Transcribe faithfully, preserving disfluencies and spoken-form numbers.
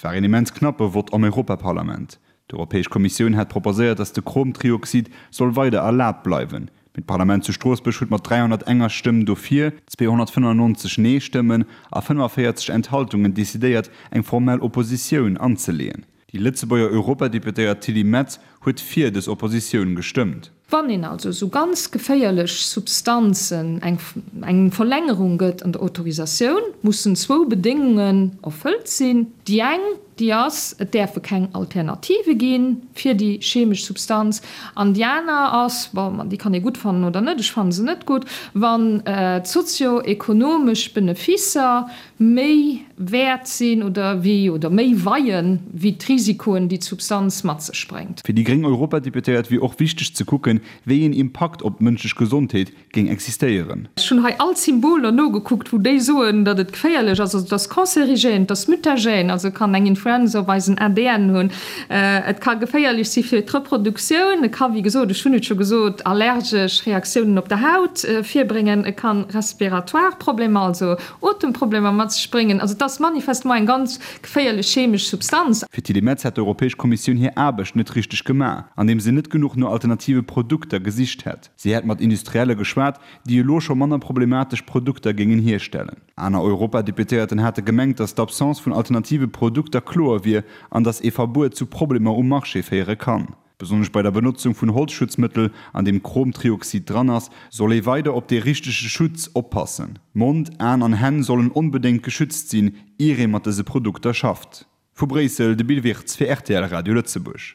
Et war een immens knappe Vott am Europaparlament. D'Europäesch Kommissioun hat proposéiert, datt de Chromtrioxid soll weider erlaabt bleiwen. Mee d'Parlament zu Stroossbuerg huet mat dräihonnertenger Stëmm dofir, zweehonnertfënnennonzeg Nee-Stëmmen a fënnefavierzeg Enthaltungen decidéiert, eng formell Oppositioun anzeleeën. Déi Lëtzebuerger Europadeputéiert Tilly Metz huet fir dës Oppositioun gestëmmt. Wann een also esou ganz geféierlech Substanzen eng eng Verlängerung gëtt an der Autorisatioun, mussen zwou Bedéngungen erfëllt sinn. Déi eng, déi ass, et däerfe keng Alternative gi fir déi chemesch Substanz. An déi aner ass, bon, déi kann ee gutt fannen oder net, ech fanne se net gutt, wann d'sozio-ekonomesch Beneficer méi wäert sinn oder wéi oder méi weien, wéi d'Risikoen, déi d'Substanz mat sech bréngt. Fir déi gréng Europadeputéiert wier och wichteg ze kucken, wéi een Impakt op d'mënschlech Gesondheet géing existéieren. Ech hunn hei all d'Symboler nogekuckt, wou déi soen, datt et geféierlech ass. Also et ass cancérigène, et ass mutagène, also kann eng Influenza op eisen A D N hunn, et ka geféierlech si fir d'Reproduktioun, et ka, wéi gesot, ech hunn et scho gesot, allergesch Reaktiounen op der Haut virbréngen, et kann respiratoire Problemer, also Otemproblemer mat sech bréngen. Also et ass manifestement eng ganz geféierlech chemesch Substanz. Fir d'Tilly Metz hätt d'Europäesch Kommissioun hir Aarbecht net richteg gemaach, andeem se net genuch no alternative Produkter gesicht hätt. Si hätt mat Industrielle geschwat, déi elo scho manner problematesch Produkter géingen hierstellen. Aner Europadeputéierten hate gemengt, datt d'Absence vun alternative Produkter kloer wier an datt ee Verbuet zu Problemer um Marché féiere kann. Besonnesch bei der Benotzung vun Holzschutzmëttel, an deem Chromtrioxid dran ass, soll ee weider op dee richtege Schutz oppassen. Mond, Aen an Hänn sollen onbedéngt geschützt sinn, ier ee mat dëse Produkter schafft. Vu Bréissel, de Bill Wirtz fir R T L Radio Lëtzebuerg.